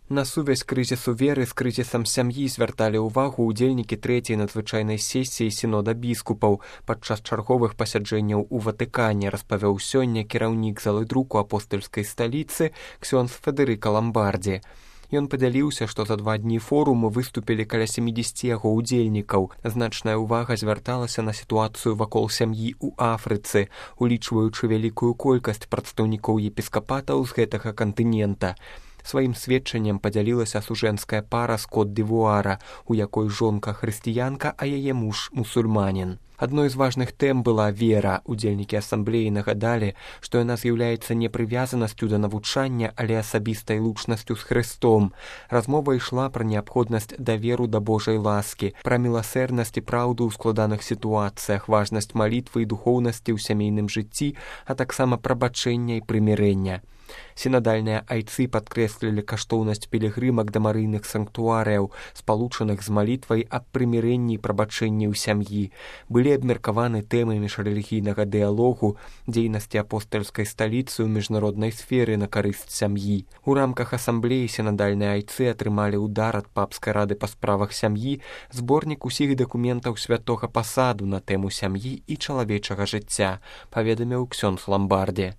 На сувязь крызісу веры з крызісам сям'і звярталі ўвагу ўдзельнікі трэцяй надзвычайнай сесіі сінода біскупаў падчас чарговых пасяджэнняў у Ватыкане, распавёў сёння кіраўнік залы друку апостальскай сталіцы ксёндз Федэрыка Ламбардзі. Ён падзяліўся, што за 2 дні форуму выступілі каля 70 яго ўдзельнікаў. Значная ўвага звярталася на сітуацыю вакол сям'і ў Афрыцы, улічваючы вялікую колькасць прадстаўнікоў епіскапатаў з гэтага кантынента. Сваім сведчаннем падзялілася сужэнская пара з Кот-д'Івуара, у якой жонка хрысціянка, а яе муж мусульманін. Адной з важных тэм была вера. Удзельнікі асамблеі нагадалі, што яна з'яўляецца не прывязанасцю да навучання, але асабістай лучнасцю з Хрыстом. Размова ішла пра неабходнасць даверу да Божай ласкі, пра міласэрнасць і праўду ў складаных сітуацыях, важнасць малітвы і духоўнасці ў сямейным жыцці, а таксама прабачэння і прымірэння. Сінадальныя айцы падкрэслілі каштоўнасць пілігрымак да марыйных санктуарыяў, спалучаных з малітвай аб прымірэнні і прабачэнні ў сям'і. Былі абмеркаваны тэмы міжрэлігійнага дыялогу, дзейнасці апостальскай сталіцы ў міжнароднай сферы на карысць сям'і. У рамках асамблеі сінадальныя айцы атрымалі ўдар ад папскай рады па справах сям'і, зборнік усіх дакументаў святога пасаду на тэму сям'і і чалавечага жыцця, паведаміў ксёндз Ламбардзі.